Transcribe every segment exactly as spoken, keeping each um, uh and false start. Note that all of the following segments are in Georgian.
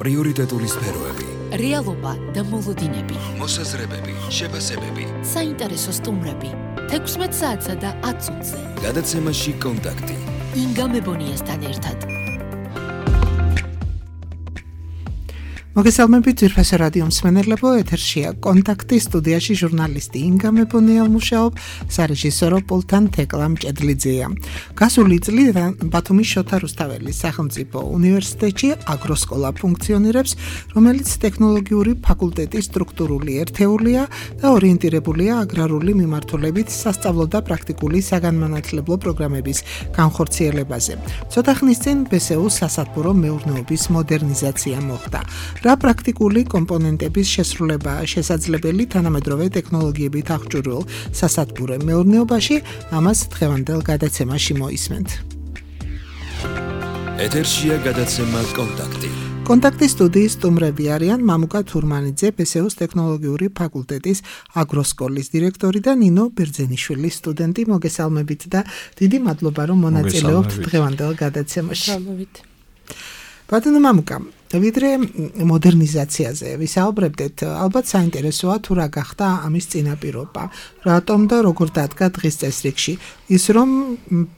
პრიორიტეტული სფეროები, რეალობა და მოლოდინები, მოსაზრებები, შეფასებები, საინტერესო სტუმრები, თექვსმეტ საათსა და ათ წუთზე. გადაცემაში კონტაქტი. ინგა მებონიასთან ერთად. მოგესალმებით ძვირფასო რადიო მსმენელებო, ეთერშია კონტაქტი, სტუდიაში ჟურნალისტი ინგა მებონია მუშაობ, სარეჟისორო პულტთან თეკლა მჭედლიძეა. გასული წლიდან ბათუმის შოთა რუსთაველის სახელმწიფო უნივერსიტეტში აგროსკოლა ფუნქციონირებს, რომელიც ტექნოლოგიური ფაკულტეტის სტრუქტურული ერთეულია და ორიენტირებულია აგრარული მიმართულებით სასწავლო და პრაქტიკული საგანმანათლებლო პროგრამების განხორციელებაზე. ცოტა ხნის წინ ბესეუს სასათბურო მეურნეობის მოდერნიზაცია მოხდა. რა პრაქტიკული კომპონენტების შესრულება შესაძლებელი თანამედროვე ტექნოლოგიებით აღჭურვილ სასათბურე მეურნეობაში, ამას დღევანდელ გადაცემაში მოისმენთ. ეთერშია გადაცემა კონტაქტი. კონტაქტის სტუდიის სტუმრები არიან მამუკა თურმანიძე, ბესეუს ტექნოლოგიური ფაკულტეტის აგროსკოლის დირექტორი და ნინო ბერძენიშვილი, სტუდენტი. მოგესალმებით და დიდი მადლობა, რომ მონაწილეობთ დღევანდელ გადაცემაში. ბატონო მამუკა, ვიდრე მოდერნიზაციაზე ვისაუბრებდეთ, ალბათ საინტერესოა თუ რა გახდა ამის წინაპირობა, რატომ და როგორ დადგა დღის წესრიგში ის, რომ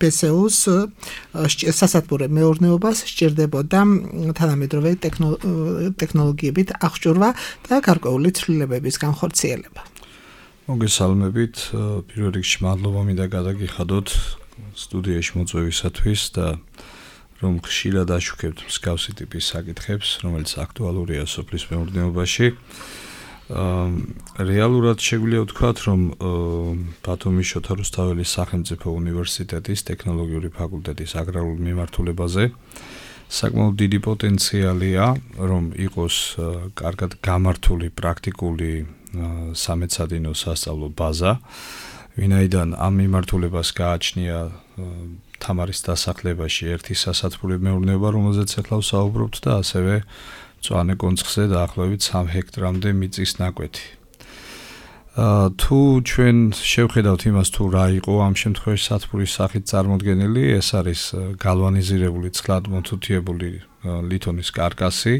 ბესეუს სასათბურე მეურნეობას სჭირდებოდა თანამედროვე ტექნოლოგიებით აღჭურვა და გარკვეული ცვლილებების განხორციელება. მოგესალმებით, პირველ რიგში მადლობა მინდა გადაგიხადოთ სტუდიაში მოწვევისათვის და რომ ხშირად აშუქებთ მსგავსი ტიპის საკითხებს, რომელიც აქტუალურია სოფლის მეურნეობაში. რეალურად შეგვიძლია ვთქვათ, რომ ბათუმის შოთა რუსთაველის სახელმწიფო უნივერსიტეტის ტექნოლოგიური ფაკულტეტის აგრარულ მიმართულებაზე საკმაოდ დიდი პოტენციალია, რომ იყოს კარგად გამართული პრაქტიკული სამეცადინო სასწავლო ბაზა, ვინაიდან ამ მიმართულებას გააჩნია თამარის დასახლებაში ერთი სასათბურე მეურნეობა, რომელზეც ახლა ვსაუბრობთ და ასევე მწვანე კონცხზე დაახლოებით სამ ჰექტრამდე მიწის ნაკვეთი. თუ ჩვენ შევხედავთ იმას, თუ რა იყო ამ შემთხვევაში სათბურის სახით წარმოდგენილი, ეს არის გალვანიზირებული წყლად მოთუთიებული ლითონის კარკასი,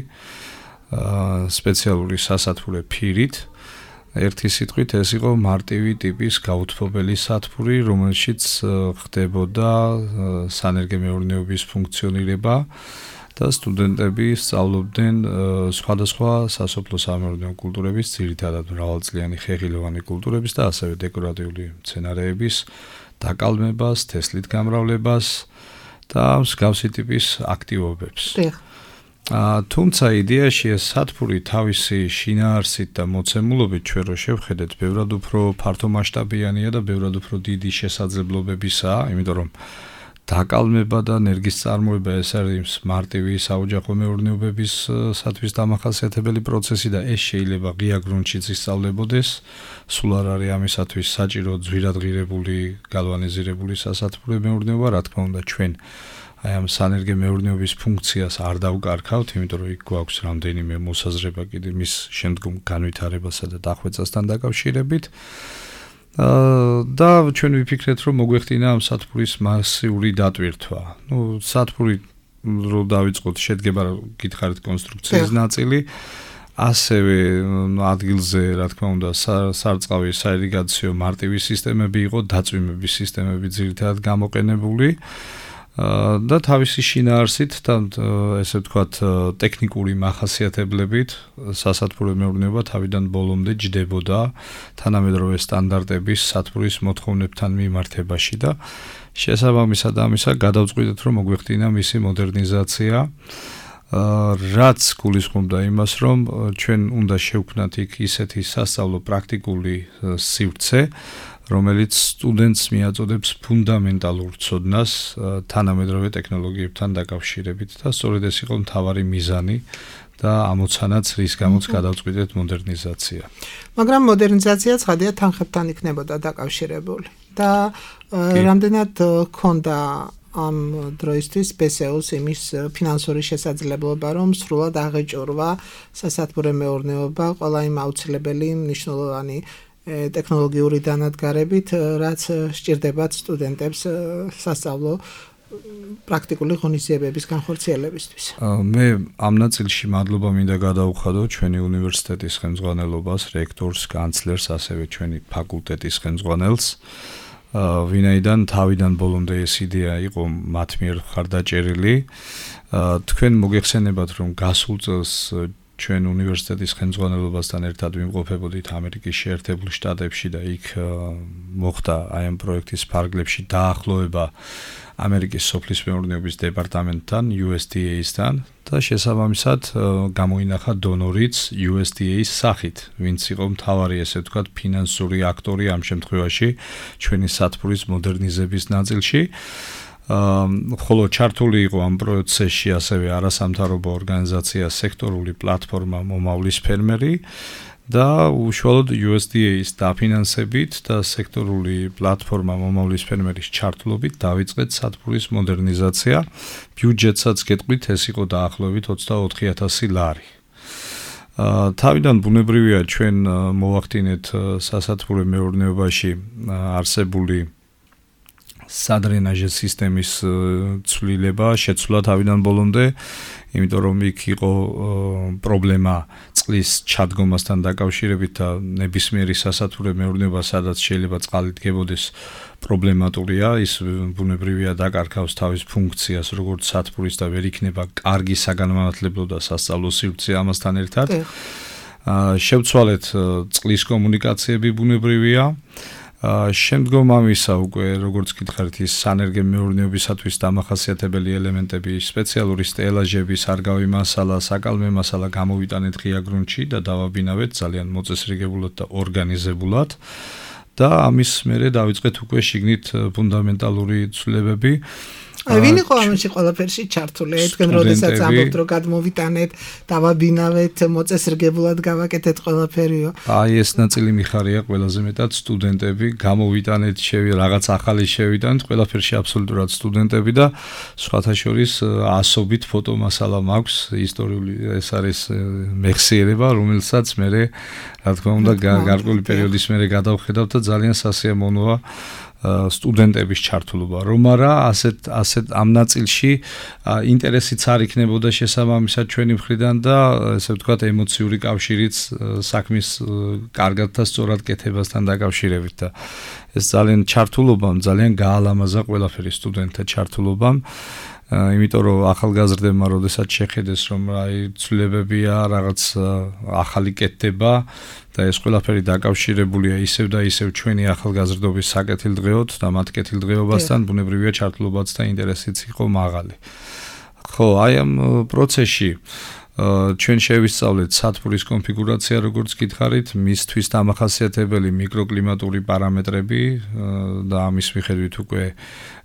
სპეციალური სასათბურე ფირით. ერთი სიტყვით ეს იყო მარტივი ტიპის გაუთბობელი სათბური, რომელშიც ხდებოდა სანერგე მეურნეობის ფუნქციონირება და სტუდენტები სწავლობდნენ სხვადასხვა სასოფლო სამეურნეო კულტურების, ძირითადად მრავალწლიანი ხეხილოვანი კულტურების და ასევე დეკორატიული მცენარეების დაკალმებას, თესლით გამრავლებას და მსგავსი ტიპის აქტივობებს. თუმცა იდეაში ეს სათბური თავისი შინაარსით და მოცემულობით ჩვენ რო შევხედეთ, ბევრად უფრო ფართომასშტაბიანია და ბევრად უფრო დიდი შესაძლებლობებისაა, იმიტომ რომ დაკალმება და ენერგიის წარმოება ეს არის მარტივი საოჯახო მეურნეობებისათვის დამახასიათებელი პროცესი და ეს შეიძლება ღია გრუნტშიც ისწავლებოდეს. სულ არ არის ამისათვის საჭირო ძვირადღირებული, გალვანიზირებული სასათბურე მეურნეობა, რა თქმა უნდა ჩვენ აი ამ სანერგე მეურნეობის ფუნქციას არ დავკარგავთ, იმიტომ რომ იქ გვაქვს რამდენიმე მოსაზრება კიდე მის შემდგომ განვითარებასა და დახვეწასთან დაკავშირებით. და ჩვენ ვიფიქრეთ, რომ მოგვეხდინა ამ სათბურის მასიური დატვირთვა. ნუ სათბური რო დავიწყოთ, შედგება გითხარით კონსტრუქციის ნაწილი, ასევე ადგილზე, რა თქმა უნდა, სარწყავი, საირიგაციო მარტივი სისტემები იყო, დაწვიმების სისტემები ძირითადად გამოყენებული. და თავისი შინაარსით და ესე ვთქვათ ტექნიკური მახასიათებლებით სასათბურე მეურნეობა თავიდან ბოლომდე ჯდებოდა თანამედროვე სტანდარტების სათბურის მოთხოვნებთან მიმართებაში და შესაბამისად ამისა გადავწყვიტეთ, რომ მოგვეხდინა მისი მოდერნიზაცია, რაც გულისხმობდა იმას, რომ ჩვენ უნდა შევქმნათ იქ ისეთი სასწავლო პრაქტიკული სივრცე, რომელიც სტუდენტს მიაწოდებს ფუნდამენტალურ ცოდნას თანამედროვე ტექნოლოგიებთან დაკავშირებით და სწორედ ეს იყო მთავარი მიზანი და ამოცანაც, რის გამოც გადავწყვიტეთ მოდერნიზაცია. მაგრამ მოდერნიზაცია ცხადია თანხებთან იქნებოდა დაკავშირებული და რამდენად ჰქონდა ამ დროისთვის ბესეუს იმის ფინანსური შესაძლებლობა, რომ სრულად აღეჭურვა სასათბურე მეურნეობა ყველა იმ აუცილებელი მნიშვნელოვანი ტექნოლოგიური დანადგარებით, რაც სჭირდებათ სტუდენტებს სასწავლო პრაქტიკული ღონისძიებების განხორციელებისთვის. მე ამ ნაწილში მადლობა მინდა გადავუხადო ჩვენი უნივერსიტეტის ხელმძღვანელობას, რექტორს, კანცლერს, ასევე ჩვენი ფაკულტეტის ხელმძღვანელს. ვინაიდან თავიდან ბოლომდე ეს იდეა იყო მათ მიერ მხარდაჭერილი. თქვენ მოგეხსენებათ, რომ გასულ წელს ჩვენ უნივერსიტეტის ხელმძღვანელობასთან ერთად ვიმყოფებოდით ამერიკის შეერთებულ შტატებში და იქ მოხდა აი ამ პროექტის ფარგლებში დაახლოება ამერიკის სოფლის მეურნეობის დეპარტამენტთან, U S D A-სთან და შესაბამისად გამოინახა დონორიც U S D A-ის სახით, ვინც იყო მთავარი, ესე ვთქვათ, ფინანსური აქტორი ამ შემთხვევაში ჩვენი სათბურის მოდერნიზების ნაწილში. ხოლო ჩართული იყო ამ პროცესში ასევე არასამთავრობო ორგანიზაცია სექტორული პლატფორმა მომავლის ფერმერი და უშუალოდ U S D A-ის დაფინანსებით და სექტორული პლატფორმა მომავლის ფერმერის ჩართულობით დავიწყეთ სათბურის მოდერნიზაცია. ბიუჯეტსაც გეტყვით, ეს იყო დაახლოებით ოცდაოთხი ათასი ლარი. თავიდან ბუნებრივია ჩვენ მოვახდინეთ სასათბურო მეურნეობაში არსებული სადრენაჟე სისტემის ცვლილება, შეცვლა თავიდან ბოლომდე, იმიტომ რომ იქ იყო პრობლემა წყლის ჩადგომასთან დაკავშირებით და ნებისმიერი სასათბურო მეურნეობა, სადაც შეიძლება წყალი დგებოდეს, პრობლემატურია, ის ბუნებრივია დაკარგავს თავის ფუნქციას, როგორც სათბურის და ვერ იქნება კარგი საგანმანათლებლო და სასწავლო სივრცე ამასთან ერთად. შევცვალეთ წყლის კომუნიკაციები ბუნებრივია. შემდგომ ამისა უკვე როგორც გითხარით ის სანერგე მეურნეობისათვის დამახასიათებელი ელემენტები, სპეციალური სტელაჟები, სარგავი მასალა, საკალმე მასალა გამოვიტანეთ ღია გრუნტში და დავაბინავეთ ძალიან მოწესრიგებულად და ორგანიზებულად და ამის მერე დავიწყეთ უკვე შიგნით ფუნდამენტალური ცვლილებები. აი ვინ იყო ამაში ყველაფერში ჩართული? თქვენ როდესაც ამბობთ რომ გადმოვიტანეთ, დავაბინავეთ, მოწესრიგებულად გავაკეთეთ ყველაფერიო. აი ეს ნაწილი მიხარია ყველაზე მეტად სტუდენტები, გამოვიტანეთ, შევი რაღაც ახალი შევიტანეთ, ყველაფერში აბსოლუტურად სტუდენტები და სხვათა შორის ასობით ფოტომასალა მაქვს, ისტორიული ეს არის მეხსიერება, რომელსაც მე რა თქმა უნდა გარკვეული პერიოდის მერე გადავხედავ და ძალიან სასიამოვნოა სტუდენტების ჩართულობა, რომ არა ასეთ ასეთ ამ ნაწილში ინტერესიც არ იქნებოდა შესაბამისად ჩვენი მხრიდან და ესე ვთქვათ ემოციური კავშირიც საქმის კარგად და სწორად კეთებასთან დაკავშირებით და ეს ძალიან ჩართულობამ ძალიან გაალამაზა ყველაფერი სტუდენტთა ჩართულობამ. იმიტომ რომ ახალგაზრდებმა როდესაც შეხედეს რომ აი ცვლილებებია, რაღაც ახალი კეთდება და ეს ყველაფერი დაკავშირებულია ისევ და ისევ ჩვენი ახალგაზრდობის საკეთილდღეოდ და მათ კეთილდღეობასთან, ბუნებრივია ჩართულობაც და ინტერესიც იყო მაღალი. ხო, აი ამ პროცესში ჩვენ შევისწავლეთ სათბურის კონფიგურაცია, როგორც გითხარით, მისთვის დამახასიათებელი მიკროკლიმატური პარამეტრები და ამის მიხედვით უკვე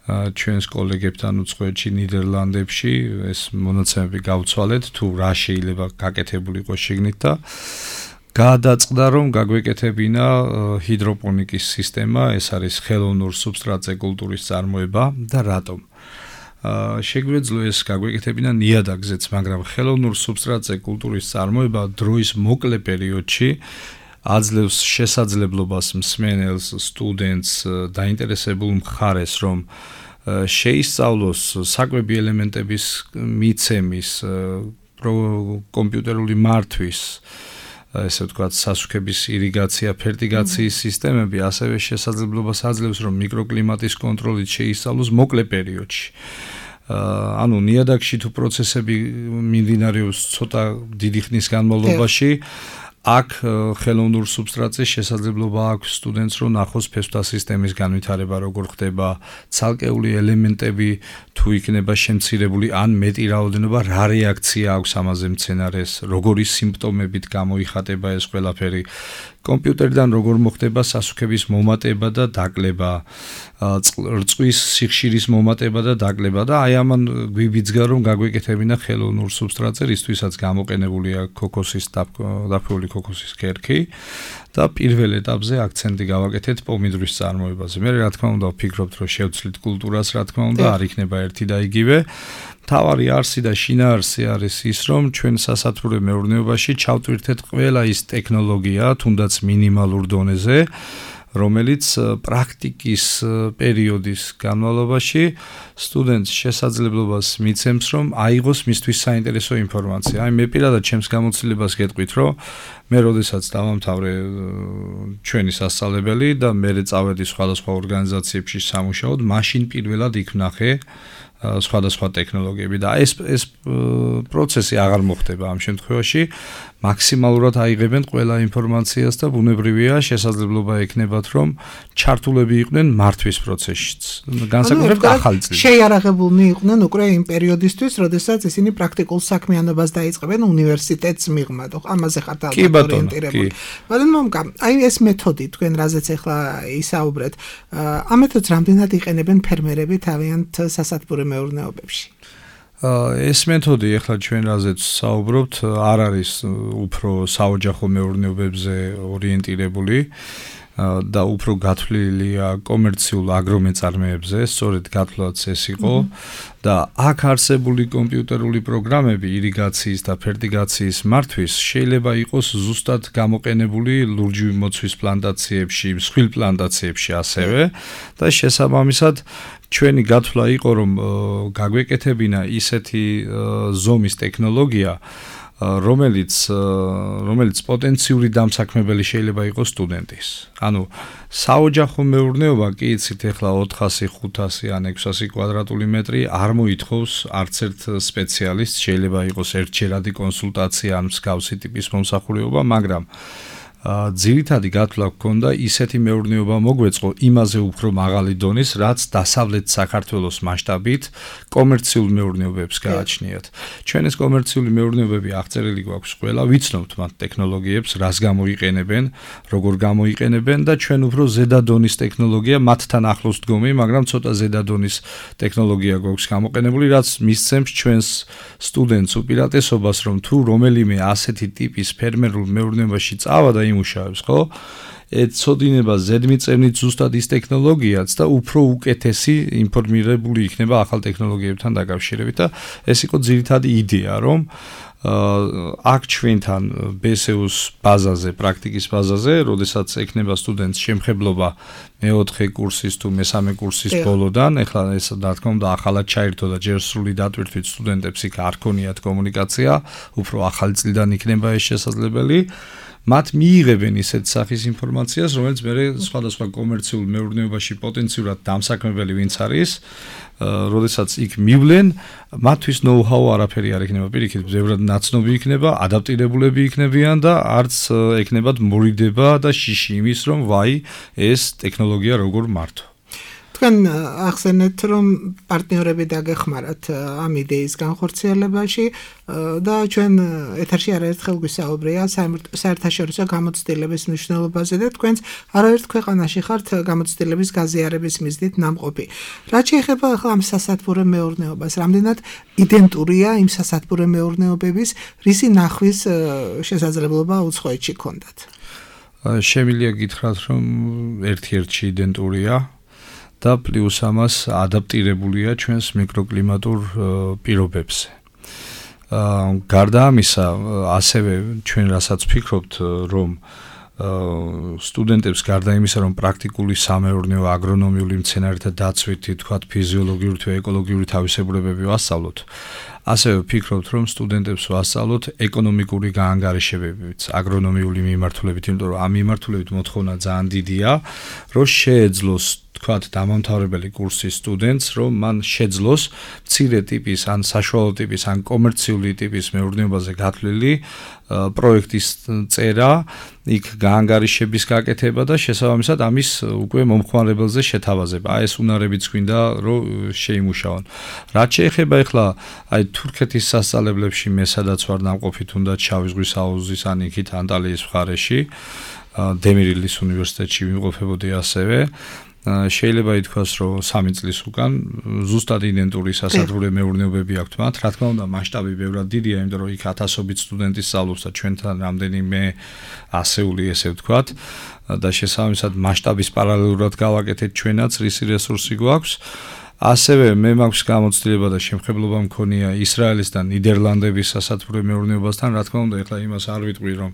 ჩვენს კოლეგებთან უცხოეთში, ნიდერლანდებში ეს მონაცემები გავცვალეთ, თუ რა შეიძლება გაკეთებული იყოს შიგნით და გადაწყდა რომ გაგვეკეთებინა ჰიდროპონიკის სისტემა, ეს არის ხელოვნურ სუბსტრატზე კულტურის წარმოება და რატომ? შეგვეძლო ეს გაგვეკეთებინა ნიადაგზეც, მაგრამ ხელოვნურ სუბსტრატზე კულტურის წარმოება დროის მოკლე პერიოდში აძლევს შესაძლებლობას მსმენელს, სტუდენტს, დაინტერესებულ მხარეს, რომ შეისწავლოს საკვები ელემენტების მიცემის, კომპიუტერული მართვის, ესე ვთქვათ, სასუქების ირიგაცია, ფერტიგაციის სისტემები, ასევე შესაძლებლობას აძლევს, რომ მიკროკლიმატის კონტროლით შეისწავლოს მოკლე პერიოდში. ანუ ნიადაგში თუ პროცესები მიმდინარეობს ცოტა დიდი ხნის განმავლობაში, აქ ხელოვნურ სუბსტრატზე შესაძლებლობა აქვს სტუდენტს რომ ნახოს ფესვთა სისტემის განვითარება როგორ ხდება, ცალკეული ელემენტები თუ იქნება შემცირებული ან მეტი რაოდენობა, რა რეაქცია აქვს ამაზე მცენარეს, როგორი სიმპტომებით გამოიხატება ეს ყველაფერი. კომპიუტერიდან როგორ მოხდება სასუქების მომატება და დაკლება, რწვის სიხშირის მომატება და დაკლება და აი ამან გვიბიძგა რომ გაგვეკეთებინა ხელოვნურ სუბსტრატზე, რისთვისაც გამოყენებულია ქოქოსის დაფუული ქოქოსის ქერქი და პირველ ეტაპზე აქცენტი გავაკეთეთ პომიდრის წარმოებაზე. მე რა თქმა უნდა ვფიქრობთ რომ შევცვლით კულტურას, რა თქმა უნდა არ იქნება ერთი და იგივე. თავარი არსი და შინაარსი არის ის, რომ ჩვენ სასათბურო მეურნეობაში ჩავტვირთეთ ყველა ის ტექნოლოგია, თუნდაც მინიმალურ დონეზე, რომელიც პრაქტიკის პერიოდის განმავლობაში სტუდენტს შესაძლებლობას მიცემს, რომ აიღოს მისთვის საინტერესო ინფორმაცია. აი მე პირადად ჩემს გამოცდილებას გეტყვით, რომ მე როდესაც დავამთავრე ჩვენი სასწავლებელი და მე წავედი სხვადასხვა ორგანიზაციებში სამუშაოდ, მაშინ პირველად იქ ვნახე სხვადასხვა ტექნოლოგიები და ეს ეს პროცესი აღარ მოხდება ამ შემთხვევაში. მაქსიმალურად აიღებენ ყველა ინფორმაციას და ბუნებრივია შესაძლებლობა ექნებათ, რომ ჩართულები იყვნენ მართვის პროცესშიც. განსაკუთრებით ახალი წლით. შეიარაღებულნი იყვნენ უკვე იმ პერიოდისთვის, როდესაც ისინი პრაქტიკულ საქმიანობას დაიწყებენ უნივერსიტეტს მიღმად. ამაზე ხართ ალბათ ორიენტირებული. მაგრამ მომკა, აი ეს მეთოდი თქვენ რაზეც ახლა ისაუბრეთ, ამ მეთოდს რამდენად იყენებენ ფერმერები თავიანთ სასათბურე მეურნეობებში? ეს მეთოდი ახლა ჩვენ რაზეც საუბრობთ, არ არის უფრო საოჯახო მეურნეობებზე ორიენტირებული და უფრო გათვლილია კომერციულ აგრომეწარმეებზე, სწორედ გათვლაც ეს იყო და აქ არსებული კომპიუტერული პროგრამები ირიგაციის და ფერტიგაციის მართვის შეიძლება იყოს ზუსტად გამოყენებული ლურჯი მოცვის პლანტაციებში, მსხვილ პლანტაციებში ასევე და შესაბამისად ჩვენი გათვლა იყო, რომ გაგვეკეთებინა ისეთი ზომის ტექნოლოგია, რომელიც რომელიც პოტენციური დამსაქმებელი შეიძლება იყოს სტუდენტის. ანუ საოჯახო მეურნეობა კი იცით ახლა ოთხასი, ხუთასი ან ექვსასი კვადრატული მეტრი არ მოითხოვს არც ერთ სპეციალისტს, შეიძლება იყოს ერთჯერადი კონსულტაცია ან მსგავსი ტიპის მომსახურება, მაგრამ ძირითადი გათვლა გქონდა ისეთი მეურნეობა მოგვეწყო იმაზე უფრო მაღალი დონის, რაც დასავლეთ საქართველოს მასშტაბით კომერციულ მეურნეობებს გააჩნიათ. ჩვენ ეს კომერციული მეურნეობები აღწერილი გვაქვს ყველა, ვიცნობთ მათ ტექნოლოგიებს, რას გამოიყენებენ, როგორ გამოიყენებენ და ჩვენ უფრო ზედა დონის ტექნოლოგია მათთან ახლოს დგომი, მაგრამ ცოტა ზედა დონის ტექნოლოგია გვაქვს გამოყენებული, რაც მისცემს ჩვენს სტუდენტს უპირატესობას, რომ თუ რომელიმე ასეთი ტიპის ფერმერულ მეურნეობაში წავა და იმუშავებს, ხო? ეცოდინება ზედმიწევნით ზუსტად ის ტექნოლოგიაც და უფრო უკეთესი ინფორმირებული იქნება ახალ ტექნოლოგიებთან დაკავშირებით და ეს იყო ძირითადი იდეა, რომ აქ ჩვენთან ბე ეს იუს ბაზაზე, პრაქტიკის ბაზაზე, როდესაც ექნება სტუდენტს შემხებლობა მეოთხე კურსის თუ მესამე კურსის ბოლოდან, ეხლა ეს რა თქმა უნდა ახალად ჩაირთო და ჯერ სრული დატვირთვით სტუდენტებს იქ არ ქონიათ კომუნიკაცია, უფრო ახალი წლიდან იქნება ეს შესაძლებელი. მათ მიიღებენ ისეთ სახის ინფორმაციას, რომელიც მე სხვადასხვა კომერციულ მეურნეობაში პოტენციურად დამსაქმებელი ვინც არის, როდესაც იქ მივლენ, მათთვის ნოუ-ჰაუ არაფერი არ იქნება, პირიქით, ბევრად ნაცნობი იქნება, ადაპტირებულები იქნებიან და არც ექნებათ მორიდება და შიში იმის, რომ ვაი, ეს ტექნოლოგია როგორ მართო. თქვენ ახსენეთ, რომ პარტნიორები დაგეხმარათ ამ იდეის განხორციელებაში და ჩვენ ეთერში არაერთხელ გვისაუბრია საერთაშორისო გამოცდილების მნიშვნელობაზე და თქვენც არაერთ ქვეყანაში ხართ გამოცდილების გაზიარების მიზნით ნამყოფი. რაც შეეხება ახლა ამ სასათბურე მეურნეობას, რამდენად იდენტურია იმ სასათბურე მეურნეობების, რისი ნახვის შესაძლებლობა უცხოეთში გქონდათ? შემიძლია გითხრათ, რომ ერთ-ერთი იდენტურია და პლუს ამას ადაპტირებულია ჩვენს მიკროკლიმატურ პირობებზე. გარდა ამისა, ასევე ჩვენ რასაც ვფიქრობთ, რომ სტუდენტებს გარდა იმისა, რომ პრაქტიკული სამეურნეო, აგრონომიული მცენარეთა დაცვითი, თქვათ ფიზიოლოგიური თუ ეკოლოგიური თავისებურებები ვასწავლოთ, ასევე ვფიქრობთ, რომ სტუდენტებს ვასწავლოთ ეკონომიკური გაანგარიშებებიც, აგრონომიული მიმართულებით, იმიტომ რომ ამ მიმართულებით მოთხოვნა ძალიან დიდია, რომ შეეძლოს თქვათ დამამთავრებელი კურსის სტუდენტს, რომ მან შეძლოს მცირე ტიპის, ან საშუალო ტიპის, ან კომერციული ტიპის მეურნეობაზე გათვლილი პროექტის წერა, იქ გაანგარიშების გაკეთება და შესაბამისად ამის უკვე მომხმარებელზე შეთავაზება. აი ეს უნარებიც გვინდა, რომ შეიმუშაონ. რაც შეეხება ახლა აი თურქეთის სასწავლებლებში მე სადაც ვარ ნამყოფი, თუნდაც შავი ზღვის აუზის ან იქით ანტალიის მხარეში, დემირილის უნივერსიტეტში ვიმყოფებოდი ასევე. შეიძლება ითქვას, რომ სამი წლის უკან ზუსტად იდენტური სასათბურე მეურნეობები აქვთ მათ. რა თქმა უნდა, მასშტაბი ბევრად დიდია, იმიტომ რომ იქ ათასობით სტუდენტი სწავლობს და ჩვენთან რამდენიმე ასეული, ესე ვთქვათ, და შესაბამისად მასშტაბის პარალელურად გავაკეთეთ ჩვენაც, რისი რესურსი გვაქვს. ასევე მე მაქვს გამოცდილება და შემხებლობა მქონია ისრაელის და ნიდერლანდების სასათბურე მეურნეობასთან. რა თქმა უნდა, ეხლა იმას არ ვიტყვი, რომ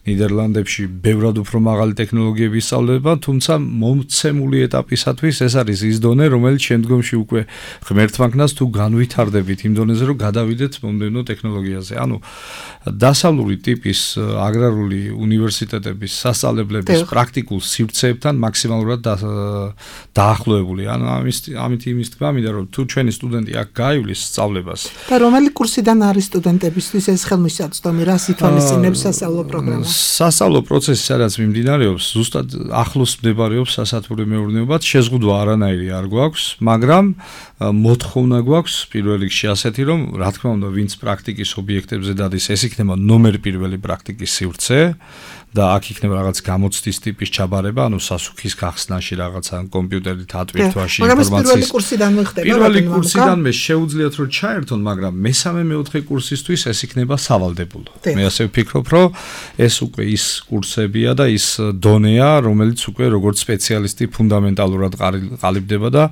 ნიდერლანდებში ბევრად უფრო მაღალი ტექნოლოგიები ისწავლება, თუმცა მომცემული ეტაპისათვის ეს არის ის დონე, რომელიც შემდგომში უკვე ღმერთმანქნას თუ განვითარდებით იმ დონეზე, რომ გადავიდეთ მომდევნო ტექნოლოგიაზე. ანუ დასავლური ტიპის აგრარული უნივერსიტეტების სასწავლებლების პრაქტიკულ სივრცეებთან მაქსიმალურად დაახლოებული. ანუ ამის ამით იმის თქმა მინდა, რომ თუ ჩვენი სტუდენტი აქ გაივლის სწავლებას და რომელი კურსიდან არის სტუდენტებისთვის ეს ხელმისაწვდომი, რას ითვალისწინებს სასწავლო პროგრამა? სასწავლო პროცესი სადაც მიმდინარეობს, ზუსტად ახლოს მდებარეობს სასათბურე მეურნეობაც, შეზღუდვა არანაირი არ გვაქვს, მაგრამ მოთხოვნა გვაქვს პირველ რიგში ასეთი, რომ რა თქმა უნდა, ვინც პრაქტიკის ობიექტებზე დადის, ეს იქნება ნომერ პირველი პრაქტიკის სივრცე და აქ იქნება რაღაც გამოცდის ტიპის ჩაბარება, ანუ სასუქის გახსნაში რაღაცა კომპიუტერით ატვირთვაში ინფორმაციის. პირველი კურსიდან ხდება. პირველი კურსიდან მე შეუძლიათ რომ ჩაერთონ, მაგრამ მესამე მეოთხე კურსისთვის ეს იქნება სავალდებულო. მე ასე ვფიქრობ, რომ ეს უკვე ის კურსებია და ის დონეა, რომელიც უკვე როგორც სპეციალისტი ფუნდამენტალურად ყალიბდება და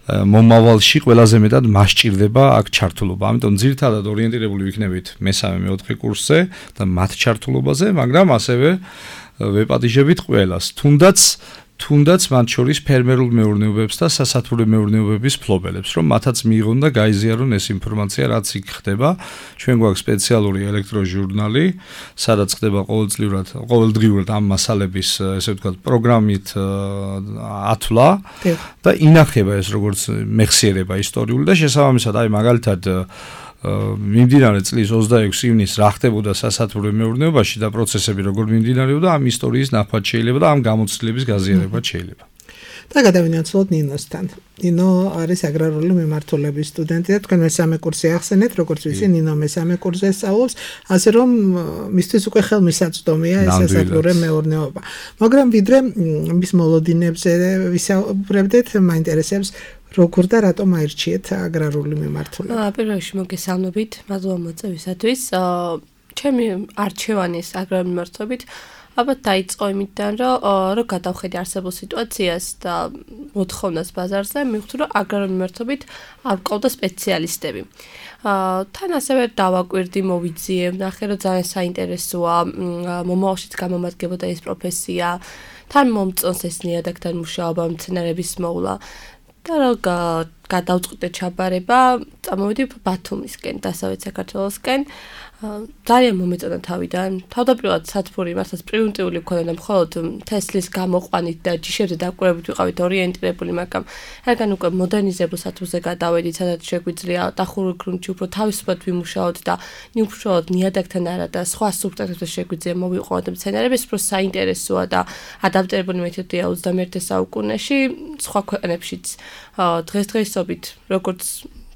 მომავალში ყველაზე მეტად მასჭირდება აქ ჩართულობა. ამიტომ ძირითადად ორიენტირებული ვიქნებით მესამე მეოთხე კურსზე და მათ ჩართულობაზე, მაგრამ ასევე ვეპატიჟებით ყველას. თუნდაც თუნდაც მათ შორის ფერმერულ მეურნეობებს და სასათბურე მეურნეობების ფლობელებს, რომ მათაც მიიღონ და გაიზიარონ ეს ინფორმაცია, რაც იქ ხდება. ჩვენ გვაქვს სპეციალური ელექტროჟურნალი, სადაც ხდება ყოველწლიურად, ყოველდღიურად ამ მასალების, ესე ვთქვათ, პროგრამით ათვლა და ინახება ეს როგორც მეხსიერება ისტორიული და შესაბამისად, აი მაგალითად მიმდინარე წლის ოცდაექვსი ივნისს რა ხდებოდა სასათბურე მეურნეობაში და პროცესები როგორ მიმდინარეობდა, ამ ისტორიის ნახვაც შეიძლება და ამ გამოცდილების გაზიარება შეიძლება. და გადავინაცვლოთ ნინოსთან. ნინო არის აგრარული მიმართულების სტუდენტი და თქვენ მესამე კურსი ახსენეთ, როგორც ვიცი, ნინო მესამე კურსზე სწავლობს, ასე რომ მისთვის უკვე ხელმისაწვდომია ეს სასათბურე მეურნეობა. მაგრამ ვიდრე მის მოლოდინებზე ვისაუბრებდეთ, მაინტერესებს როგორ და რატომ აირჩიეთ აგრარული მიმართულება? პირველ რიგში მოგესალმებით, მადლობა მოწვევისათვის. ჩემი არჩევანის აგრარული მიმართულებით ალბათ დაიწყო იმიდან, რომ რო გადავხედე არსებულ სიტუაციას და მოთხოვნას ბაზარზე, მივხვდი, რომ აგრარული მიმართულებით არ ყავდა სპეციალისტები. თან ასევე დავაკვირდი, მოვიძიე, ნახე, რომ ძალიან საინტერესოა, მომავალშიც გამომადგებოდა ეს პროფესია, თან მომწონს ეს ნიადაგთან მუშაობა, მცენარეების მოვლა. და რა გადავწყვიტე ჩაბარება, წამოვიდი ბათუმისკენ, დასავლეთ საქართველოსკენ. ძალიან მომეწონა თავიდან. თავდაპირველად სათბური მართლაც პრიმიტიული მქონდა და მხოლოდ თესლის გამოყვანით და ჯიშებზე დაკვირვებით ვიყავით ორიენტირებული, მაგრამ რადგან უკვე მოდერნიზებულ სათბურზე გადავედით, სადაც შეგვიძლია დახურული გრუნტში უფრო თავისუფლად ვიმუშაოთ და უბრალოდ ნიადაგთან არა და სხვა სუბსტრატებზე შეგვიძლია მოვიყვანოთ მცენარების, უფრო საინტერესოა და ადაპტირებული მეთოდია ოცდამეერთე საუკუნეში, სხვა ქვეყნებშიც დღესდღეობით როგორც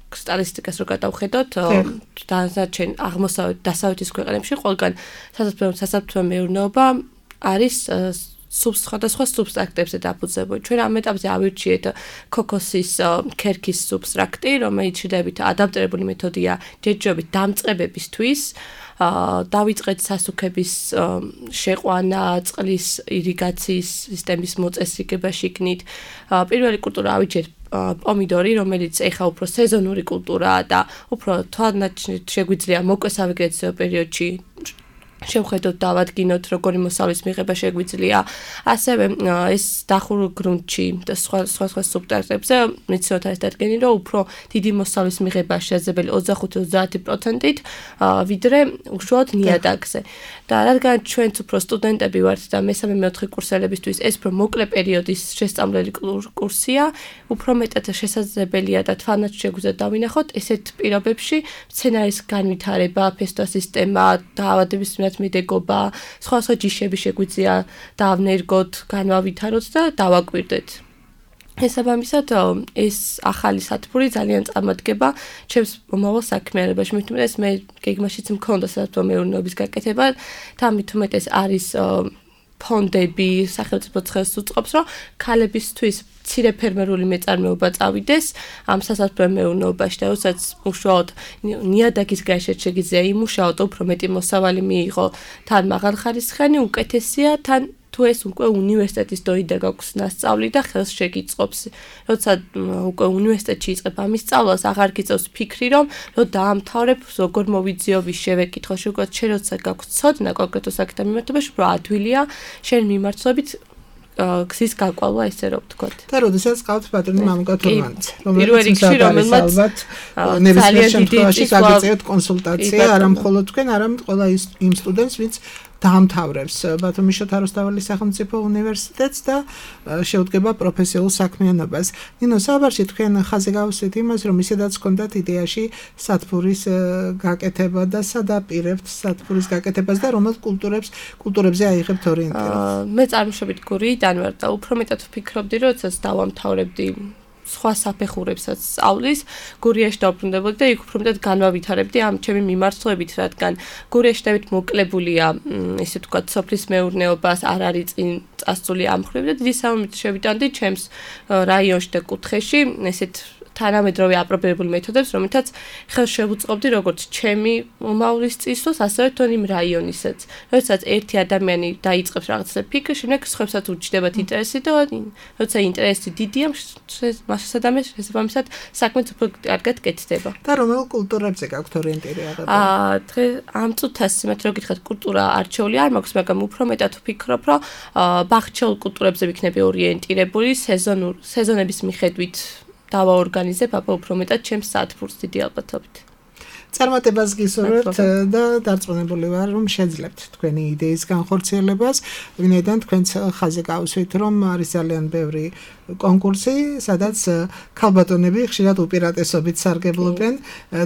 სტატისტიკას რო გადავხედოთ, დანარჩენ აღმოსავლეთ დასავლეთის ქვეყნებში ყველგან სასათბურე მეურნეობა არის სხვადასხვა სუბსტრაქტებზე დაფუძნებული. ჩვენ ამ ეტაპზე ავირჩიეთ ქოქოსის ქერქის სუბსტრაქტი, რომელიც შედარებით ადაპტირებული მეთოდია ჯერჯერობით დამწყებებისთვის. დავიწყეთ სასუქების შეყვანა, წყლის irrigაციის სისტემის მოწესრიგება შიგნით. პირველი კულტურა ავიჩეთ პომიდორი, რომელიც ეხა უფრო სეზონური კულტურაა და უფრო თვალნაჩნით შეგვიძლია მოკლე სავეგეტაციო პერიოდში შევხედოთ დავადგინოთ როგორი მოსავლის მიღება შეგვიძლია. ასევე ეს დახურულ გრუნტში და სხვა სხვა სხვა სუბსტრატებზე მიცნოთ არის დადგენილი, რომ უფრო დიდი მოსავლის მიღება შესაძლებელი ოცდახუთი ოცდაათი პროცენტით ვიდრე უშუალოდ ნიადაგზე. და რადგან ჩვენც უფრო სტუდენტები ვართ და მესამე მეოთხე კურსელებისთვის ეს უფრო მოკლე პერიოდის შესწავლელი კურსია, უფრო მეტად შესაძლებელია და თვალნაჩნით შეგვიძლია დავინახოთ ესეთ პირობებში მცენარის განვითარება, ფესტო სისტემა, დაავადების მედეგობა, სხვა სხვა ჯიშები შეგვიძლია დავნერგოთ, განავითაროთ და დავაკვირდეთ. შესაბამისად, ეს ახალი სათბური ძალიან წარმატგება ჩემს მომავალ საქმიანობაში. მით უმეტეს მე გეგმაშიც მქონდა სასათბურო მეურნეობის გაკეთება, თამით უმეტეს არის ფონდები, სახელმწიფო ხელს უწყობს, რომ ქალებისთვის მცირე ფერმერული მეწარმეობა წავიდეს ამ სასათბურო მეურნეობაში და როდესაც უშუალოდ ნიადაგის გარეშე შეგიძლია იმუშაოთ, უფრო მეტი მოსავალი მიიღო, თან მაღალხარისხიანი, უკეთესია, თან თუ თუ ეს უკვე უნივერსიტეტის დოიდა გაქვს ნასწავლი და ხელს შეგიწყობს. როცა უკვე უნივერსიტეტში იწყებ ამის სწავლას, აღარ გიწევს ფიქრი, რომ რო დაამთავრებ, როგორ მოვიძიო, ვის შევეკითხო, შეგუათ შენ როცა გაქვს ცოდნა კონკრეტულ საკითხთან მიმართებაში, უფრო ადვილია შენ მიმართულებით გზის გაკვალვა, ესე რომ ვთქვათ. და როდესაც ყავთ ბატონი მამუკა თურმანიც, პირველ რიგში რომელმაც ნებისმიერ შემთხვევაში გაგიწევთ კონსულტაცია, არა მხოლოდ თქვენ, არამედ ყველა იმ სტუდენტს, ვინც დაამთავრებს ბათუმის შოთა რუსთაველის სახელმწიფო უნივერსიტეტს და შეუდგება პროფესიულ საქმიანობას. ნინო, საუბარში თქვენ ხაზი გავუსვით იმას, რომ ისედაც ჰქონდათ იდეაში სათბურის გაკეთება და სადაპირებთ სათბურის გაკეთებას და რომელ კულტურებს კულტურებზე აიღებთ ორიენტირებას. მე წარმოშობით გურიიდან ვარ და უფრო მეტად ვფიქრობდი, როდესაც დავამთავრებდი სხვა საფეხურებსაც სწავლის, გურიაში დავბრუნდებოდი და იქ უფრო მეტად განვავითარებდი ამ ჩემი მიმართულებით, რადგან გურიაში დავით მოკლებულია, ესე ვთქვათ, სოფლის მეურნეობას, არ არის წინ წასული ამ მხრივ და დიდი სამომით შევიტანდი ჩემს რაიონში და კუთხეში, ესეთ თანამედროვე აპრობირებული მეთოდებს, რომელთაც ხელს შევუწყობდი როგორც ჩემი მომავლის წისოს, ასევე თვითონ იმ რაიონისაც. როდესაც ერთი ადამიანი დაიწყებს რაღაცა ფიქრი, შემდეგ სხვებსაც უჩნდებათ ინტერესი და როცა ინტერესი დიდია, მას ადამიანს შესაბამისად საქმეც უფრო კარგად კეთდება. და რომელ კულტურებზე გაქვთ ორიენტირება? აა, დღეს ამ წუთას იმათ რო გითხრათ, კულტურა არჩეული არ მაქვს, მაგრამ უფრო მეტად ვფიქრობ, რომ ბაღჩეულ კულტურებზე ვიქნები ორიენტირებული, სეზონურ სეზონების მიხედვით დავაორგანიზებ აბა უფრო მეტად ჩემს სათბურს დიდი ალბათობით. წარმატებას გისურვებთ და დარწმუნებული ვარ, რომ შეძლებთ თქვენი იდეის განხორციელებას, ვინაიდან თქვენც ხაზი გავუსვით, რომ არის ძალიან ბევრი კონკურსი, სადაც ქალბატონები ხშირად უპირატესობით სარგებლობენ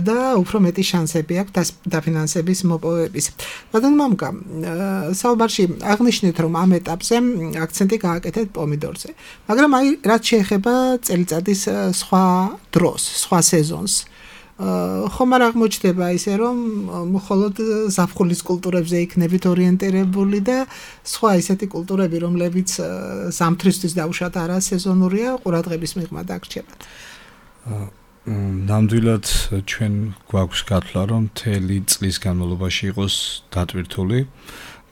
და უფრო მეტი შანსები აქვს დაფინანსების მოპოვების. ბატონ მამუკა, საუბარში აღნიშნეთ, რომ ამ ეტაპზე აქცენტი გააკეთეთ პომიდორზე, მაგრამ აი რაც შეეხება წელიწადის სხვა დროს, სხვა სეზონს. ხომ არ აღმოჩნდება ისე რომ მხოლოდ ზაფხულის კულტურებზე იქნებით ორიენტირებული და სხვა ისეთი კულტურები, რომლებიც ზამთრისთვის დაუშვათ არა სეზონურია, ყურადღების მიღმა დაგრჩებათ. ნამდვილად ჩვენ გვაქვს გათვლა, რომ მთელი წლის განმავლობაში იყოს დატვირთული,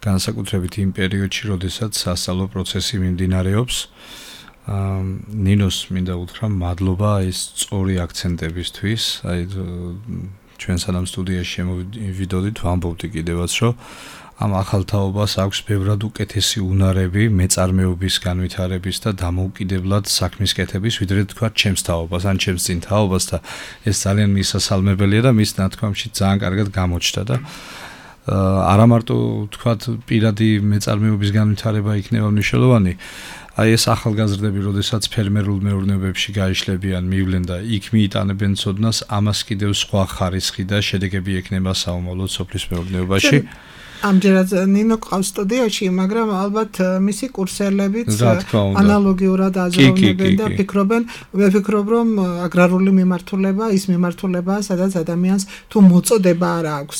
განსაკუთრებით იმ პერიოდში, როდესაც სასწავლო პროცესი მიმდინარეობს. ნინოს მინდა უთხრა მადლობა ეს სწორი აქცენტებისთვის, აი ჩვენ სანამ სტუდიაში შემოვიდოდით, ვამბობდი კიდევაც, რომ ამ ახალ თაობას აქვს ბევრად უკეთესი უნარები მეწარმეობის განვითარების და დამოუკიდებლად საქმის კეთების, ვიდრე თქვა ჩემს თაობას, ან ჩემს წინ თაობას და ეს ძალიან მისასალმებელია და მის ნათქვამში ძალიან კარგად გამოჩნდა და არა მარტო თქვა პირადი მეწარმეობის განვითარება იქნება მნიშვნელოვანი, აი ეს ახალგაზრდები, როდესაც ფერმერულ მეურნეობებში გაიშლებიან, მივლენ და იქ მიიტანებენ ცოდნას, ამას კიდევ სხვა ხარისხი და შედეგები ექნება საომავლო სოფლის მეურნეობაში. ამჯერად ნინო ყავს სტუდიაში, მაგრამ ალბათ მისი კურსელებიც ანალოგიურად აზროვნებენ და ფიქრობენ, მე ვფიქრობ, რომ აგრარული მიმართულება ის მიმართულებაა, სადაც ადამიანს თუ მოწოდება არ აქვს,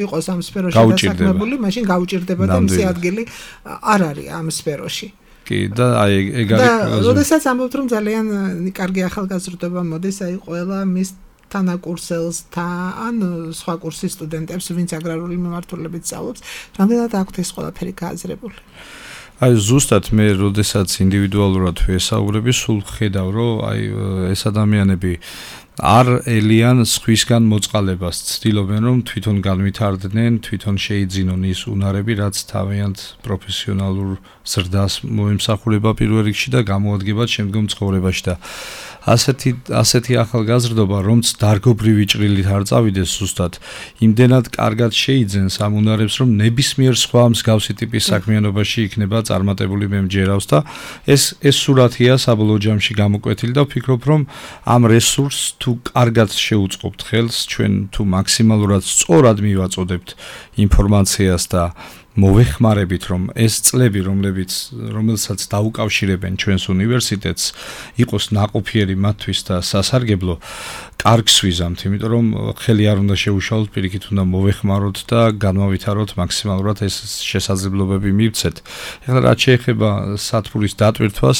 იყოს ამ სფეროში დასაქმებული, მაშინ გაუჭირდება და მისი ადგილი არ არის ამ სფეროში. კი და აი ეგ არის. და როდესაც ამბობთ, რომ ძალიან კარგი ახალგაზრდობა მოდის, აი ყველა მის თანაკურსელს ან სხვა კურსის სტუდენტებს, ვინც აგრარული მიმართულებით სწავლობს, რამდენად აქვთ ეს ყველაფერი გააზრებული? აი ზუსტად მე როდესაც ინდივიდუალურად ვესაუბრები, სულ ხედავ, რომ აი ეს ადამიანები არ ელიან სხვისგან მოწყალებას, ცდილობენ რომ თვითონ განვითარდნენ, თვითონ შეიძინონ ის უნარები, რაც თავიანთ პროფესიონალურ ზრდას მოემსახურება პირველ რიგში და გამოადგება შემდგომ ცხოვრებაში და ასეთი ასეთი ახალგაზრდობა, რომც დარგობრივი ჭრილით არ წავიდეს ზუსტად, იმდენად კარგად შეიძენს ამ უნარებს, რომ ნებისმიერ სხვა მსგავსი ტიპის საქმიანობაში იქნება წარმატებული მე მჯერავს და ეს ეს სურათია საბოლოო ჯამში გამოკვეთილი და ვფიქრობ, რომ ამ რესურსს თუ კარგად შეუწყობთ ხელს, ჩვენ თუ მაქსიმალურად სწორად მივაწოდებთ ინფორმაციას და მოვეხმარებით, რომ ეს წლები, რომლებიც რომელსაც დაუკავშირებენ ჩვენს უნივერსიტეტს, იყოს ნაყოფიერი მათთვის და სასარგებლო, კარგს ვიზამთ, იმიტომ რომ ხელი არ უნდა შეუშალოთ, პირიქით უნდა მოვეხმაროთ და განვავითაროთ მაქსიმალურად ეს შესაძლებლობები მივცეთ. ეხლა რაც შეეხება სათბურის დატვირთვას,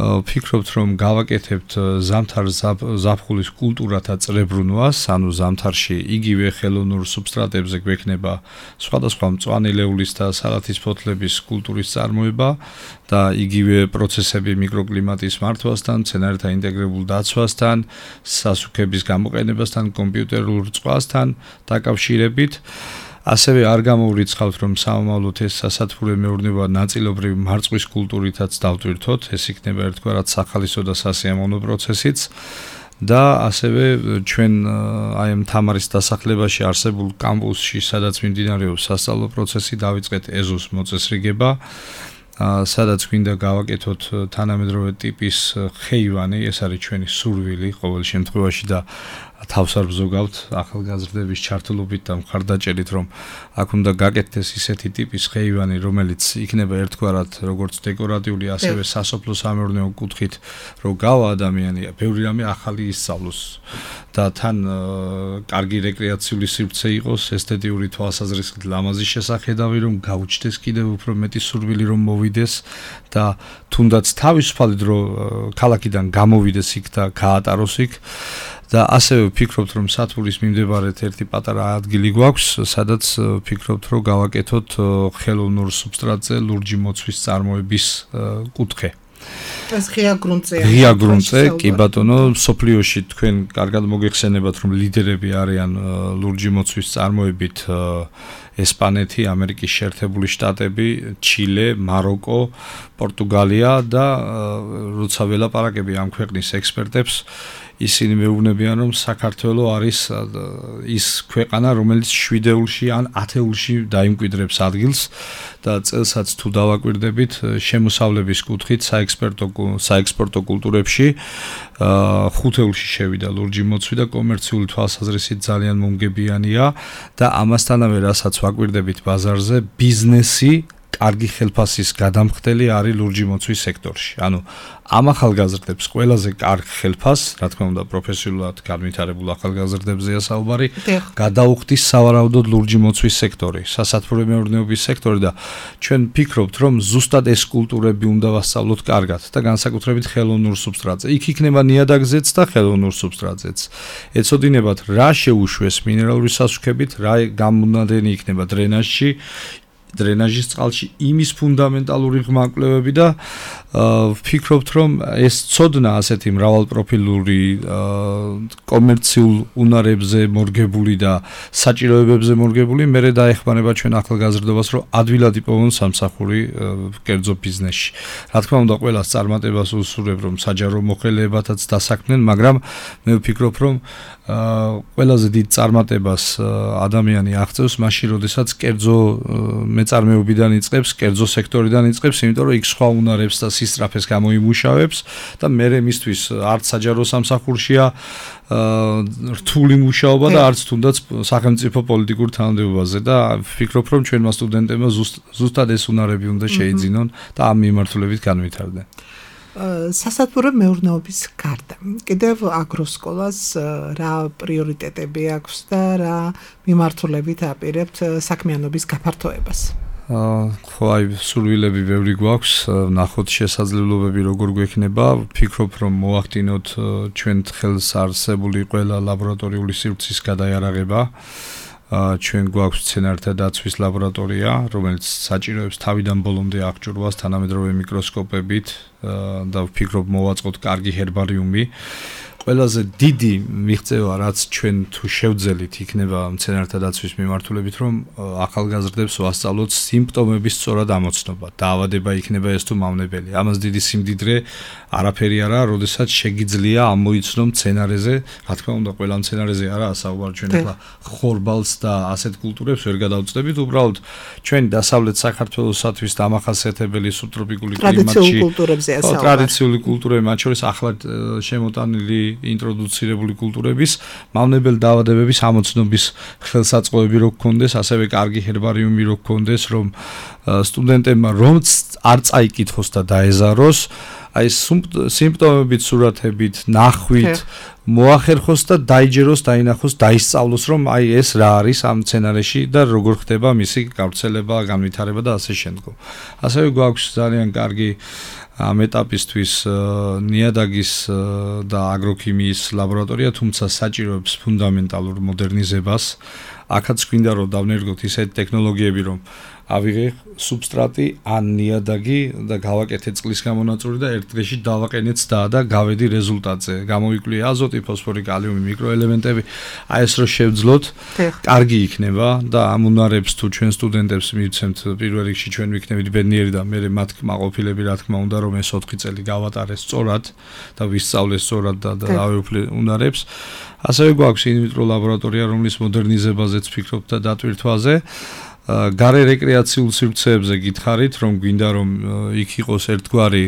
ვფიქრობთ, რომ გავაკეთებთ ზამთარ ზაფხულის კულტურათა წრებრუნვას, ანუ ზამთარში იგივე ხელოვნურ სუბსტრატებზე გვექნება სხვადასხვა მწვანე ლეულის და სალათის ფოთლების კულტურის წარმოება და იგივე პროცესები მიკროკლიმატის მართვასთან, მცენარეთა ინტეგრებულ დაცვასთან, სასუქების გამოყენებასთან, კომპიუტერულ რწყვასთან დაკავშირებით. ასევე არ გამოვრიცხავთ, რომ სამომავლოდ ეს სასათბურე მეურნეობა ნაწილობრივ მარწყვის კულტურითაც დავტვირთოთ, ეს იქნება ერთგვარად სახალისო და სასიამოვნო პროცესიც. და ასევე ჩვენ აი ამ თამარის დასახლებაში არსებულ კამპუსში, სადაც მიმდინარეობს სასწავლო პროცესი, დავიწყეთ ეზოს მოწესრიგება, სადაც გვინდა გავაკეთოთ თანამედროვე ტიპის ხეივანი, ეს არის ჩვენი სურვილი ყოველ შემთხვევაში და თავს არ ბზოგავთ ახალგაზრდების ჩართულობით და მხარდაჭერით, რომ აქ უნდა გაკეთდეს ისეთი ტიპის ხეივანი, რომელიც იქნება ერთგვარად როგორც დეკორატიული, ასევე სასოფლო სამეურნეო კუთხით, რომ გავა ადამიანი, ბევრი რამე ახალი ისწავლოს და თან კარგი რეკრეაციული სივრცე იყოს, ესთეტიური თვალსაზრისით ლამაზი შესახედავი, რომ გაუჩნდეს კიდევ უფრო მეტი სურვილი, რომ მოვიდეს და თუნდაც თავისუფალი დრო ქალაქიდან გამოვიდეს იქ და გაატაროს იქ. და ასევე ვფიქრობთ, რომ სათბურის მიმდებარედ ერთი პატარა ადგილი გვაქვს, სადაც ვფიქრობთ, რომ გავაკეთოთ ხელოვნურ სუბსტრატზე ლურჯი მოცვის წარმოების კუთხე. ეს ღია გრუნტზეა. ღია გრუნტზე, კი ბატონო, სოფლიოში თქვენ კარგად მოგეხსენებათ, რომ ლიდერები არიან ლურჯი მოცვის წარმოებით ესპანეთი, ამერიკის შეერთებული შტატები, ჩილე, მაროკო, პორტუგალია და როცა ველაპარაკები ამ ქვეყნის ექსპერტებს, ისინი მეუბნებიან, რომ საქართველო არის ის ქვეყანა, რომელიც შვიდეულში ან ათეულში დაიმკვიდრებს ადგილს და წელსაც თუ დავაკვირდებით შემოსავლების კუთხით საექსპერტო საექსპორტო კულტურებში ხუთეულში შევიდა ლურჯი მოცვი და კომერციული თვალსაზრისით ძალიან მომგებიანია და ამასთანავე რასაც ვაკვირდებით ბაზარზე ბიზნესი კარგი ხელფასის გადამხდელი არის ლურჯი მოცვის სექტორში. ანუ ამ ახალგაზრდებს ყველაზე კარგ ხელფასს, რა თქმა უნდა, პროფესიულად განვითარებულ ახალგაზრდებზეა საუბარი, გადაუხდის სავარაუდოდ ლურჯი მოცვის სექტორი, სასათბურე მეურნეობის სექტორი და ჩვენ ვფიქრობთ, რომ ზუსტად ეს კულტურები უნდა ვასწავლოთ კარგად და განსაკუთრებით ხელოვნურ სუბსტრატზე. იქ იქნება ნიადაგზეც და ხელოვნურ სუბსტრატზეც. ეცოდინებათ რა შეუშვეს მინერალური სასუქებით, რა გამონადენი იქნება დრენაჟში, დრენაჟის წყალში იმის ფუნდამენტალური ღმაკლებები და ვფიქრობთ, რომ ეს ცოდნა ასეთი მრავალპროფილური კომერციულ უნარებზე მორგებული და საჭიროებებზე მორგებული მერე დაეხმარება ჩვენ ახალგაზრდობას, რომ ადვილად იპოვონ სამსახური კერძო ბიზნესში. რა თქმა უნდა, ყველას წარმატებას უსურვებ, რომ საჯარო მოხელეებათაც დასაქმნენ, მაგრამ მე ვფიქრობ, რომ ყველაზე დიდ წარმატებას ადამიანი აღწევს მაშინ, როდესაც კერძო მეწარმეობიდან იწყებს, კერძო სექტორიდან იწყებს, იმიტომ რომ იქ სხვა უნარებს და სისწრაფეს გამოიმუშავებს და მერე მისთვის არც საჯარო სამსახურშია რთული მუშაობა და არც თუნდაც სახელმწიფო პოლიტიკურ თანამდებობაზე და ვფიქრობ, რომ ჩვენმა სტუდენტებმა ზუსტად ეს უნარები უნდა შეიძინონ და ამ მიმართულებით განვითარდნენ. სასათბურე მეურნეობის გარდა კიდევ აგროსკოლას რა პრიორიტეტები აქვს და რა მიმართულებით აპირებთ საქმიანობის გაფართოებას? ხო, აი, სურვილები ბევრი გვაქვს, ნახოთ შესაძლებლობები როგორ გვექნება. ვფიქრობ, რომ მოვახდინოთ ჩვენ ხელს არსებული ყველა ლაბორატორიული სივრცის გადაიარაღება. ჩვენ გვაქვს მცენარეთა დაცვის ლაბორატორია, რომელიც საჭიროებს თავიდან ბოლომდე აღჭურვას თანამედროვე მიკროსკოპებით და ვფიქრობ მოვაწყოთ კარგი ჰერბარიუმი. ყველაზე დიდი მიღწევა, რაც ჩვენ თუ შევძელით იქნება მცენარეთა დაცვის მიმართულებით, რომ ახალგაზრდებს ვასწავლოთ სიმპტომების სწორად ამოცნობა. დაავადება იქნება ეს თუ მავნებელი. ამას დიდი სიმდიდრე არაფერი არა, როდესაც შეგიძლია ამოიცნო მცენარეზე, რა თქმა უნდა, ყველა მცენარეზე არაა საუბარი, ჩვენ ახლა ხორბალს და ასეთ კულტურებს ვერ გადავწდებით, უბრალოდ ჩვენ დასავლეთ საქართველოსათვის დამახასიათებელი სუბტროპიკული კლიმატში ტრადიციული კულტურები, მათ შორის ახლა შემოტანილი ინტროდუცირებული კულტურების მავნებელ დაავადებების ამოცნობის ხელსაწყოები რო გქონდეს, ასევე კარგი ჰერბარიუმი რო გქონდეს, რომ სტუდენტებმა რომც არ წაიკითხოს და დაეზაროს, აი სიმპტომებით, სურათებით, ნახვით მოახერხოს და დაიჯეროს, დაინახოს, დაისწავლოს, რომ აი ეს რა არის ამ სცენარეში და როგორ ხდება მისი გავრცელება, განვითარება და ასე შემდგომ. ასევე გვაქვს ძალიან კარგი ამ ეტაპისთვის ნიადაგის და აგროქიმიის ლაბორატორია, თუმცა საჭიროებს ფუნდამენტალურ მოდერნიზებას. აქაც გვინდა რომ დავნერგოთ ისეთი ტექნოლოგიები, რომ ავიღე სუბსტრატი ან ნიადაგი და გავაკეთე წყლის გამონაწილე და ერთ დღეში დავაყენეთ და და გავედი რეზულტატზე. გამოვიკვლიე აზოტი, ფოსფორი, კალიუმი, მიკროელემენტები. აი ეს რო შევძლოთ, კარგი იქნება და ამ უნარებს თუ ჩვენ სტუდენტებს მივცემთ პირველ რიგში ჩვენ ვიქნებით ბედნიერი და მე მათ კმაყოფილები რა თქმა უნდა რომ ეს ოთხი წელი გავატარეს სწორად და ვისწავლეს სწორად და დავეუფლე უნარებს. ასევე გვაქვს ინვიტრო ლაბორატორია, რომლის მოდერნიზებაზეც ვფიქრობ და დატვირთვაზე. გარე რეკრეაციულ სივრცეებზე გითხარით, რომ გვინდა რომ იქ იყოს ერთგვარი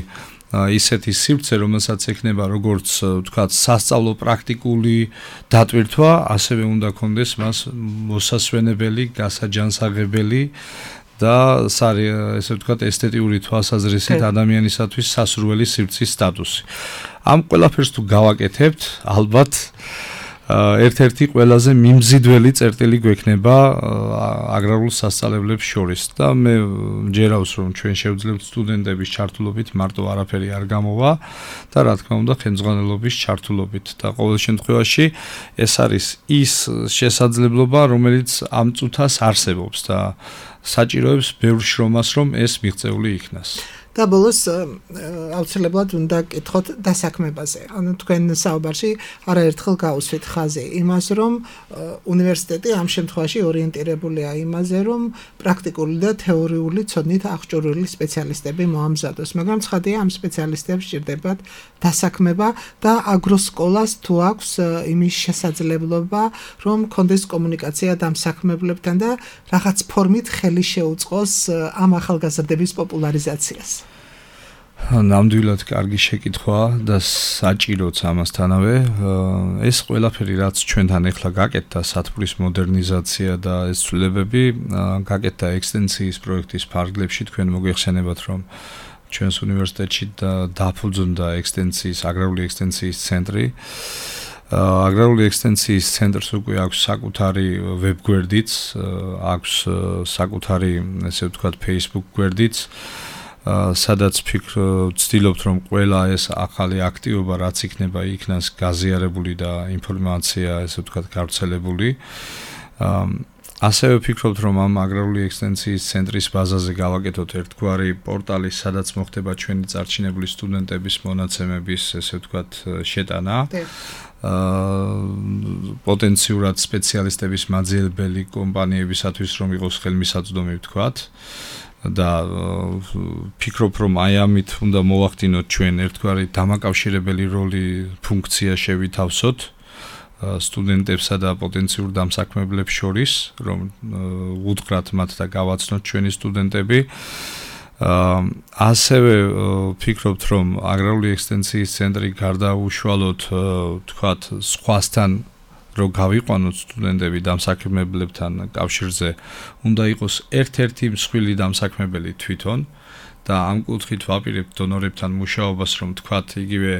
ისეთი სივრცე, რომელსაც ექნება როგორც ვთქვათ, სასწავლო პრაქტიკული დატვირთვა, ასევე უნდა კონდეს მას მოსასვენებელი, გასაჯანსაღებელი და ესე ვთქვათ, ესთეტიური თვალსაზრისით ადამიანისათვის სასურველი სივრცის სტატუსი. ამ ყველაფერს თუ გავაკეთებთ, ალბათ ერთ-ერთი ყველაზე მიმზიდველი წერტილი გვექნება აგრარულ სასწავლებლებს შორის და მე მჯერავს რომ ჩვენ შევძლებთ სტუდენტების ჩართულობით მარტო არაფერი არ გამოვა და რა თქმა უნდა ხელმძღვანელობის ჩართულობით და ყოველ შემთხვევაში ეს არის ის შესაძლებლობა რომელიც ამ წუთას არსებობს და საჭიროებს ბევრ შრომას რომ ეს მიღწეული იქნას. და ბოლოს აუცილებლად უნდა კითხოთ დასაქმებაზე. ანუ თქვენ საუბარში არაერთხელ გაუსვით ხაზი იმას, რომ უნივერსიტეტი ამ შემთხვევაში ორიენტირებულია იმაზე, რომ პრაქტიკული და თეორიული ცოდნით აღჭურვილი სპეციალისტები მოამზადოს. მაგრამ ცხადია, ამ სპეციალისტებს სჭირდებათ დასაქმება და აგროსკოლას თუ აქვს იმის შესაძლებლობა, რომ კონდეს კომუნიკაცია დამსაქმებლებთან და რაღაც ფორმით ხელი შეუწყოს ამ ახალგაზრდების პოპულარიზაციას. ნამდვილად კარგი შეკითხვა და საჭიროც ამასთანავე ეს ყველაფერი რაც ჩვენთან ახლა გაკეთდა სათბურის მოდერნიზაცია და ეს ცვლილებები გაკეთდა ექსტენსიის პროექტის ფარგლებში თქვენ მოგეხსენებათ რომ ჩვენს უნივერსიტეტში დაფუძნდა ექსტენსიის აგრარული ექსტენსიის ცენტრი აგრარული ექსტენსიის ცენტრს უკვე აქვს საკუთარი ვებგვერდიც აქვს საკუთარი ესე ვთქვათ Facebook გვერდიც სადაც ვცდილობთ რომ ყველა ეს ახალი აქტივობა რაც იქნება იქნას გაზიარებული და ინფორმაცია ესე ვთქვათ გავრცელებული ასევე ვფიქრობთ რომ ამ აგრარული ექსტენსიის ცენტრის ბაზაზე გავაკეთოთ ერთგვარი პორტალი სადაც მოხდება ჩვენი წარჩინებული სტუდენტების მონაცემების ესე ვთქვათ შეტანა პოტენციურად სპეციალისტების მაძიებელი კომპანიებისათვის რომ იყოს ხელმისაწვდომი ვთქვათ და ფიქრობ რომ აი ამით უნდა მოვახდინოთ ჩვენ ერთგვარი დამაკავშირებელი როლი ფუნქცია შევითავსოთ სტუდენტებსა და პოტენციურ დამსაქმებლებს შორის რომ უთხრათ მათ და გავაცნოთ ჩვენი სტუდენტები ასევე ფიქრობთ რომ აგრარული ექსტენსიის ცენტრი გარდა უშუალოდ თქვათ სხვასთან რომ გავიყვანოთ სტუდენტები დამსაქმებლებთან კავშირზე უნდა იყოს ერთ-ერთი მსხვილი დამსაქმებელი თვითონ და ამ კუთხით ვაპირებთ დონორებთან მუშაობას რომ თქვათ იგივე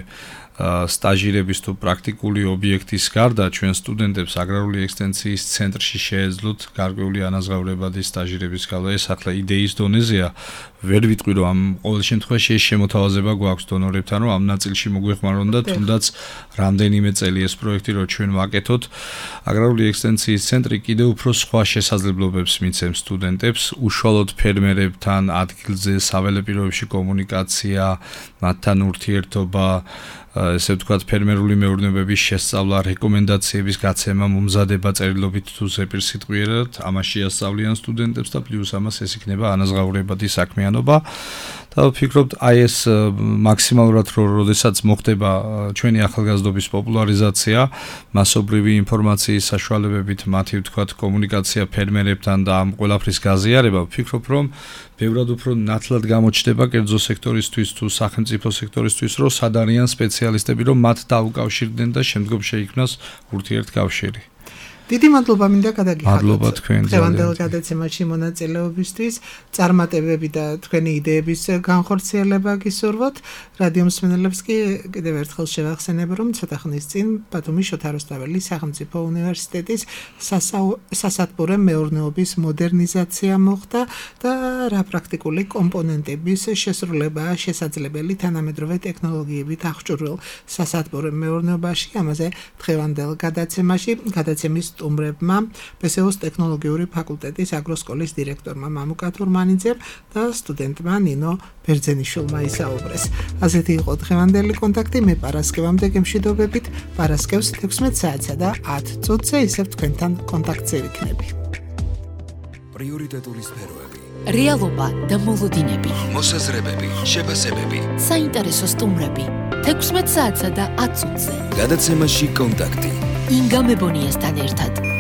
სტაჟირების თუ პრაქტიკული ობიექტის გარდა ჩვენ სტუდენტებს აგრარული ექსტენსიის ცენტრში შეეძლოთ გარკვეული ანაზღაურებადი სტაჟირების გალო ეს ახლა იდეის დონეზეა ვერ ვიტყვი რომ ამ ყოველ შემთხვევაში ეს შემოთავაზება გვაქვს დონორებთან რომ ამ ნაწილში მოგვეხმარონ და თუნდაც რამდენიმე წელი ეს პროექტი რომ ჩვენ ვაკეთოთ აგრარული ექსტენსიის ცენტრი კიდევ უფრო სხვა შესაძლებლობებს მიცემს სტუდენტებს უშუალოდ ფერმერებთან ადგილზე საველე პირობებში კომუნიკაცია მათთან ურთიერთობა ესე ვთქვათ ფერმერული მეურნეობების შესწავლა, რეკომენდაციების გაცემა, მომზადება წერილობით თუ ზეპირსიტყვიერად, ამაში ასწავლიან სტუდენტებს და პლუს ამას ეს იქნება ანაზღაურებადი საქმიანობა. და ვფიქრობთ, აი ეს მაქსიმალურად როდესაც მოხდება ჩვენი ახალგაზრდობის პოპულარიზაცია, მასობრივი ინფორმაციის საშუალებებით მათი ვთქვათ კომუნიკაცია ფერმერებთან და ამ ყველაფრის გაზიარება, ვფიქრობ რომ ბევრად უფრო ნათლად გამოჩნდება კერძო სექტორისთვის თუ სახელმწიფო სექტორისთვის, რომ სად არიან სპეციალისტები, რომ მათ დაუკავშირდნენ და შემდგომ შეიქმნას ურთიერთკავშირი. დიდი მადლობა მინდა გადაგიხადოთ. მადლობა თქვენ დღევანდელ გადაცემაში მონაწილეობისთვის, წარმატებები და თქვენი იდეების განხორციელება გისურვოთ. რადიო მსმენელებს კი კიდევ ერთხელ შევახსენებ, რომ ცოტა ხნის წინ ბათუმის შოთა რუსთაველის სახელმწიფო უნივერსიტეტის სასათბურე მეურნეობის მოდერნიზაცია მოხდა და რა პრაქტიკული კომპონენტების შესრულებაა შესაძლებელი თანამედროვე ტექნოლოგიებით აღჭურვილ სასათბურე მეურნეობაში. ამაზე დღევანდელ გადაცემაში გადაცემის სტუმრებმა ბესეოს ტექნოლოგიური ფაკულტეტის აგროსკოლის დირექტორმა მამუკა თურმანიძემ და სტუდენტმა ნინო ბერძენიშვილმა ისაუბრეს. ასეთი იყო დღევანდელი კონტაქტი. მე პარასკევამდე გემშვიდობებით. პარასკევს თექვსმეტ საათსა და ათ წუთზე ისევ თქვენთან კონტაქტზე ვიქნები. პრიორიტეტული სფეროები, რეალობა და მოლოდინები, მოსაზრებები, შეფასებები. საინტერესო სტუმრები. თექვსმეტ საათსა და ათ წუთზე. გადაცემაში კონტაქტი. ინგა მებონიასთან ერთად.